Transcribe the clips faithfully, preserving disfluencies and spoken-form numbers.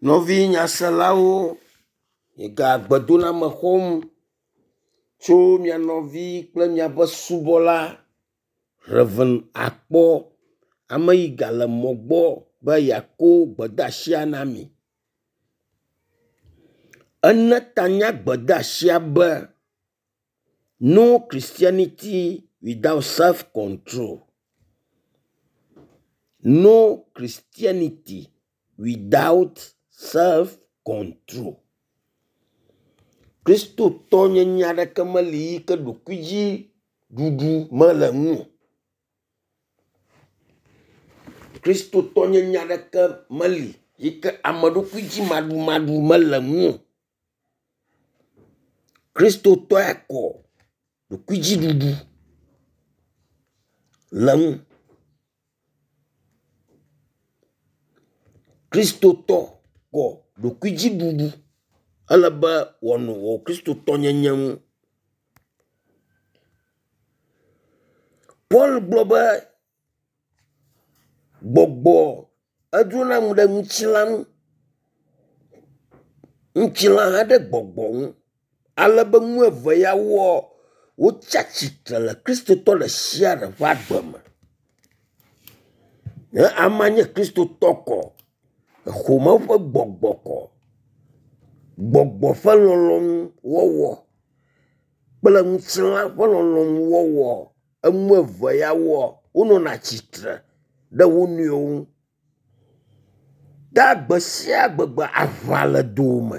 Nɔvi nyaselawo, miega gbedoname xɔm tso mia nɔvi kple miaƒe subɔla Rev. Akpɔ ame yi gale mɔ gbɔ be yeako gbedeasia na mi. Ene ta na gbedeasia be no Christianity without self control. No Christianity without self control. Kristotɔnyenye aɖeke meli yi ke ɖokuidziɖuɖu mele ŋu o. Kristotɔnyenye aɖeke meli yi ke ameɖokuidzimaɖumaɖu mele ŋu o. Kristotɔ ya kɔ ɖokuidziɖuɖu le ŋu. Kristotɔ kɔ ɖokuidziɖuɖu ele be wòanɔ wò kristotɔnyenye ŋu. Paul gblɔ be gbɔgbɔ edrona nu ɖe ŋutilã ŋu, ŋutilã hã ɖe gbɔgbɔ ŋu ale be nu eve yawoa, wotsi atsitre le kristotɔ ɖe sia ɖe ƒe agbe me. Ne amea nye kristotɔ kɔ, exɔ Mawu ƒe gbɔgbɔ kɔ, gbɔgbɔ ƒe lɔlɔ̃nu wɔwɔ kple ŋutilã ƒe lɔlɔ̃nu wɔwɔ, enu eve yawoa, wonɔna tsitre ɖe wo nɔewo ŋu. Ta gbe sia gbegbe aʋa le dowòme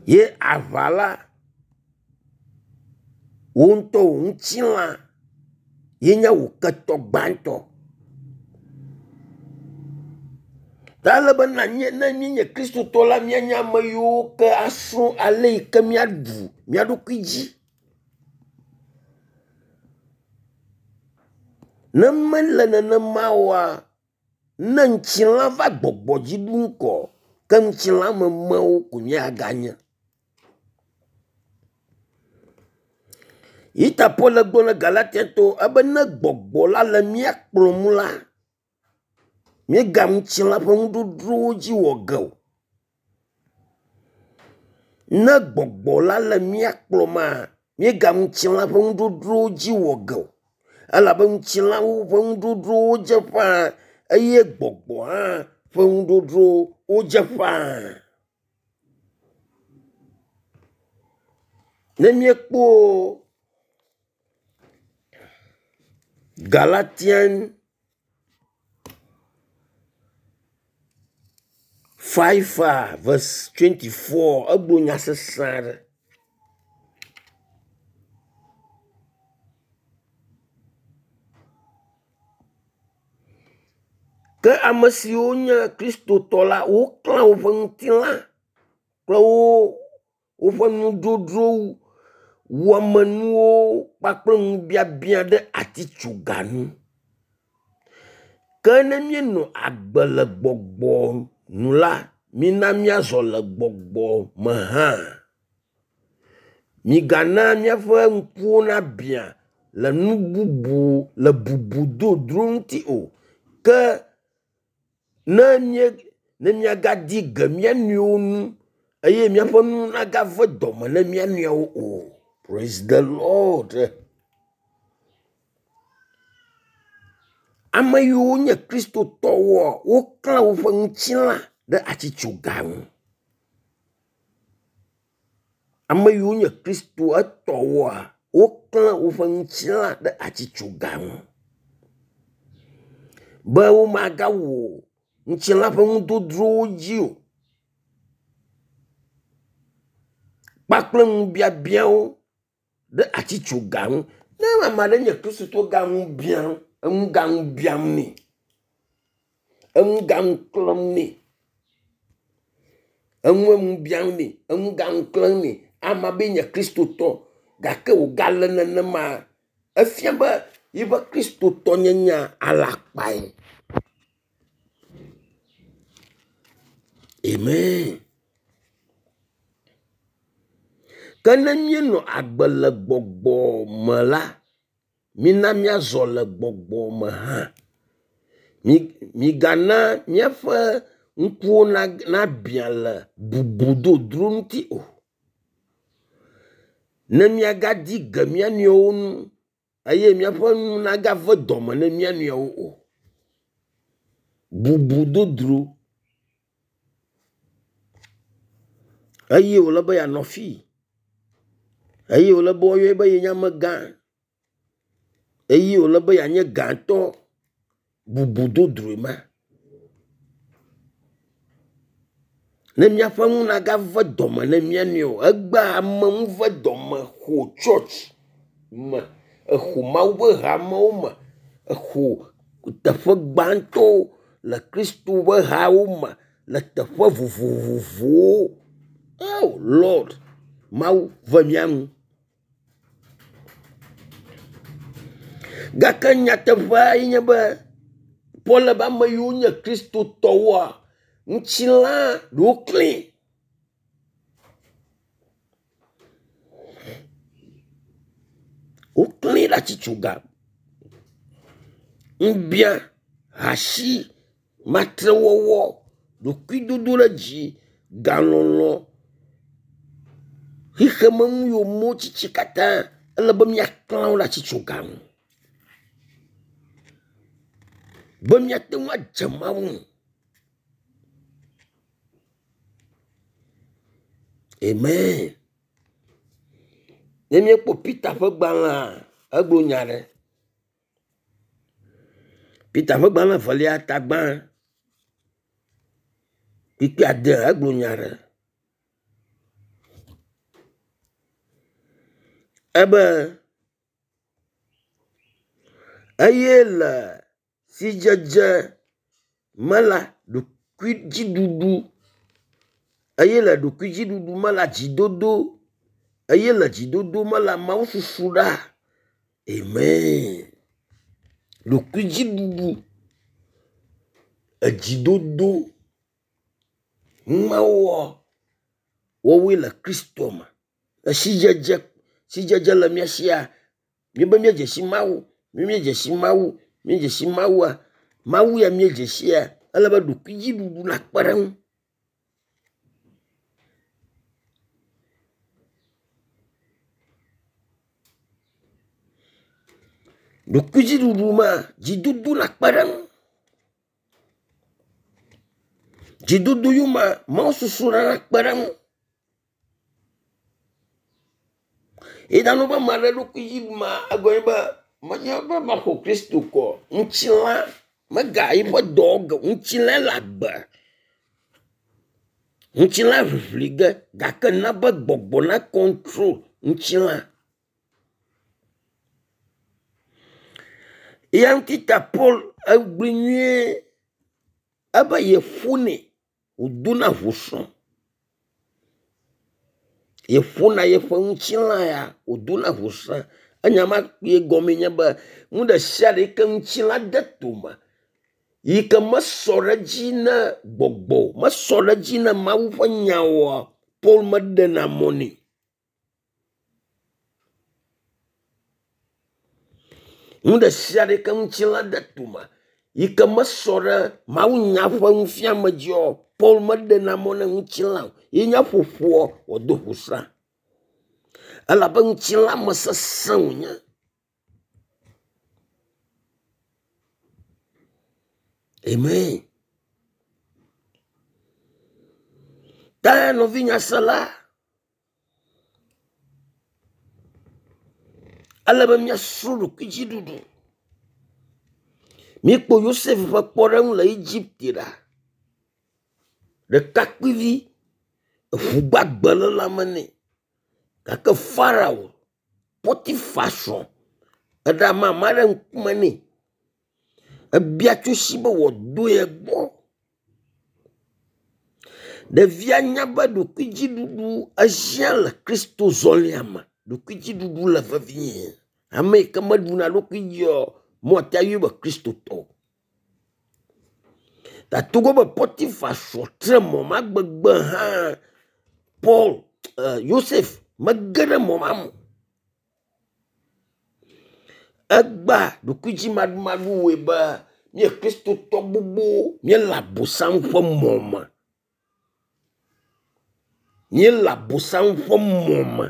ye aʋa la, wò ŋutɔ wò ŋutilã ye nye wò ketɔ gbãtɔ. Ta ele be ne míenye kristotɔ la, míanye ame yiwo ke asrɔ̃ ale yi ke míaɖu mía ɖokui dzi. Ne mele nenema oa, ne ŋutilã va gbɔgbɔ dzi ɖum kɔ, ke ŋutilãmemewo ko míaganye. Yi ta Paul gblɔ na Galatiatɔwo ebe ne gbɔgbɔ la le mía kplɔm la, míega ŋutilã ƒe nudzodzrowo dzi wɔ ge o. Ne gbɔgbɔ la le mía kplɔma, míega ŋutilã ƒe nudzodzrowo dzi wɔ ge o. Elabe ŋutilãwo ƒe nudzodzrowo dze ƒãa eye gbɔgbɔ hã ƒe nudzodzrowo wodze ƒãa. Ne míekpɔ Galatian five verse twenty four egblɔ nya sesẽ aɖe. Ke ame siwo nye kristotɔ la, woklã woƒe ŋutilã kple wo woƒe nudzodzro wɔmenuwo kpakple ŋubiabia ɖe atitsoga ŋu. Ke ne míenɔ agbe le gbɔgbɔ nu la, mina míazɔ le gbɔgbɔ me hã. Migana míaƒe ŋkuwo nabia le nu bubu le bubu dzodzro ŋuti o. Ke ne mía ne míagadi ge mía nɔewo ŋu eye míaƒe nu nagave dɔme na mía nɔewo o. Praise the Lord. Ame yiwo nye kristotɔwoa, woklã woƒe ŋutilã ɖe atitsoga ŋu. Ame yiwo nye kristo etɔwoa, woklã woƒe ŋutilã ɖe atitsoga ŋu be womagawɔ ŋutilã ƒe nudzodzrowo dzi o kpakple ŋubiabiawo ɖe atitsoga ŋu. Ne ame aɖe nye kristotɔ ga ŋu biam, eŋu ga ŋu biam nɛ, eŋu ga ŋu klẽm nɛ, eŋu ŋu biam nɛ, eŋu ga ŋu klẽm nɛ. Amea be yenye kristotɔ gake wògale nenema, efia be yiƒe kristotɔnyenyea alakpae. Amen. Ke ne míenɔ agbe le gbɔgbɔ me la, mina míazɔ le gbɔgbɔ me hã. Migana míaƒe ŋkuwo nabiã le bubu dodro ŋuti o. Ne míagadi ge mía nɔewo ŋu eye míaƒe nu nagave dɔme ne mía nɔewo o. Bubu dodro eye wòle be yeanɔ fii eye wòle be woayɔe be yenye amegã eye wòle be yeanye gãtɔ. Bubu dodroe ma. Ne míaƒe nu nagave dɔme ne mía nɔewo o. Egbea amenuvedɔme xɔ tsɔtsi me, exɔ Mawu ƒe hamewo me, exɔ teƒe gbãtɔwo le Kristo ƒe hawo me le teƒe vovovowo. O Lord, Mawu ve mía nu. Gake nyateƒea ye nye be Paul be ame yiwo nye kristotɔwoa, ŋutilã ɖe woklẽ. Woklẽ ɖe atitsoga. Ŋubia, asi, matrewɔwɔ, ɖokuidodoɖedzi, galɔlɔ, xexemenu yomewotsitsi katã ele be míaklã wo ɖe atitsoga ŋu be míate ŋu adze Mawu ŋu. Amen. Ne míekpɔ Peter ƒe gbalẽa, egblɔ nya ɖe. Peter ƒe gbalẽ evelia ta gbã kpukpui ade egblɔ nya ɖe. Ebe eye le sidzedze me la ɖokuidziɖuɖu eye le ɖokuidziɖuɖu me la dzidodo eye le dzidodo me la mawususuɖa. Amen. Ɖokuidziɖuɖu, edzidodo numawoa woawoe le Kristo me. Esidzedze sidzedze le mía sia míebe míedze si Mawu, mi míedze si Mawu, míedze si Mawua, Mawu ya míedze sia ele be ɖokuidziɖuɖu nakpe ɖe eŋu. Ɖokuidziɖuɖu ma, dzidodo nakpe ɖe eŋu. Dzidodo yome mawususuɖa nakpe ɖe eŋu. Yi ɖano be ame aɖe ɖokui dzi ɖum egɔme be menye be maxɔ Kristo kɔ ŋutilã mega yiƒe dɔ ge o. Ŋutilã le agbe. Ŋutilã ʋiʋli ge gake na be gbɔgbɔ na kɔntrol ŋutilã. Eya ŋuti ta Paul egblɔe nyuie ebe yeƒonɛ wòdona ʋusrɔ̃. Yeƒona yeƒe ŋutilã ya wòdona ʋusrɔ̃. Enya ma kpuie gɔmee nye be nu ɖe sia ɖe yi ke ŋutilã de tome yi ke mesɔ ɖe edzi ne gbɔgbɔ o, mesɔ ɖe edzi ne Mawu ƒe nya oa, Paul meɖena mɔ nɛ. Nu ɖe sia ɖe yi ke ŋutilã de tome yi ke mesɔ ɖe mawunya ƒe nufiame dzia, Paul meɖena mɔ ne ŋutilã o. Ye nye ƒoƒoa wòado ʋusrã. Elabe ŋutilã me sesẽ wònye. Amen. Ta nɔvi nyasela, ele be míasrɔ̃ ɖokuidziɖuɖu. Míekpɔ Yosef ƒe kpɔɖeŋu le Egipte ɖa. Ɖekakpuivi eʋu gbagbe le lãme nɛ gake Farao Potifa srɔ̃ eɖe amama ɖe ŋkume nɛ. Ebia tso esi be wòado ye gbɔ. Ɖevia nya be ɖokuidziɖuɖu ehiã le Kristo zɔlia me. Ɖokuidziɖuɖu le vevie. Ame yi ke meɖuna eɖokui dzia, mɔte ayɔe be kristotɔ o. Ta togbɔ be Potifa srɔ̃ tre mɔ ma gbegbe hã, Paul eh, Yosef mege ɖe mɔ ma me o. Egbea ɖokuidzimaɖumaɖu wɔe be Míe Kristotɔ gbogbowo míele abosam ƒe mɔ me. Míele abosam ƒe mɔ me.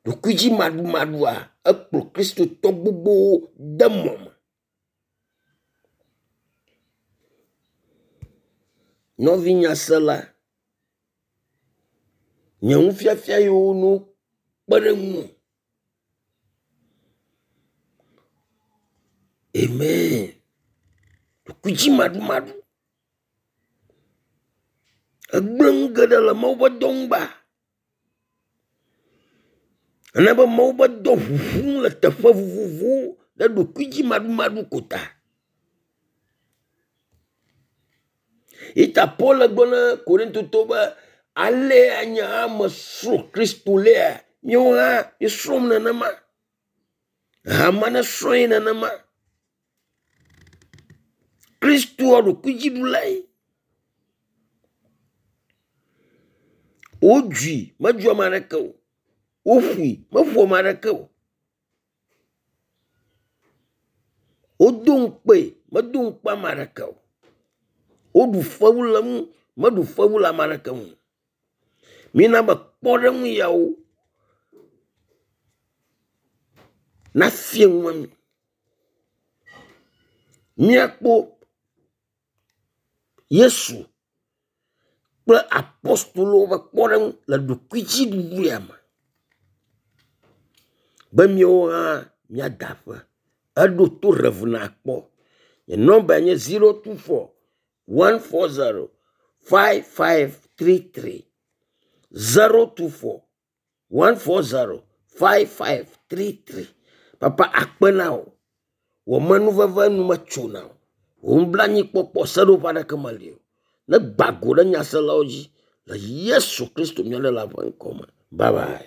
Ɖokuidzimaɖumaɖua ekplɔ kristotɔ gbogbowo de mɔ me. Nɔvi nyasela, nye nufiafia yiwo no kpe ɖe ŋuwò. Amen. Ɖokuidzimaɖumaɖu egblẽ nu geɖe le Mawu ƒe dɔ ŋu ba. Ena be Mawu ƒe dɔ ʋuʋum le teƒe vovovowo ɖe ɖokuidzimaɖumaɖu ko ta. Yi ta Paul gblɔ na Korintotɔwo be alea nye hã mesrɔ̃ Kristo lea, míawo hã míesrɔ̃m nenema. Hame nesrɔ̃ ye nenema. Kristoa ɖokuidziɖulae. Wodzui, medzu ame aɖeke o. Woƒoe, meƒo ame aɖeke o. Wodo ŋukpee, medo ŋukpe ame aɖeke o. Woɖu fewu le eŋu, meɖu fewu le ame aɖeke ŋu o. Mina be kpɔɖeŋu yawo nafia nua mi. Míakpɔ Yesu kple apɔstolowo ƒe kpɔɖeŋu le ɖokuidziɖuɖu ya me be míawo hã míada aƒe. Eɖo to Rev. Nakpɔ. Nye nɔmbae nye zero two four one four zero five five three three zero two four one four zero five five three three. Papa akpe na wò. Wò amenuveve nu metsona o. Wò nublanuikpɔkpɔ seɖoƒe aɖeke meli o. Ne gba go ɖe nyaselawo dzi le Yesu Kristo mía Ɖela ƒe ŋkɔ me. Bye bye.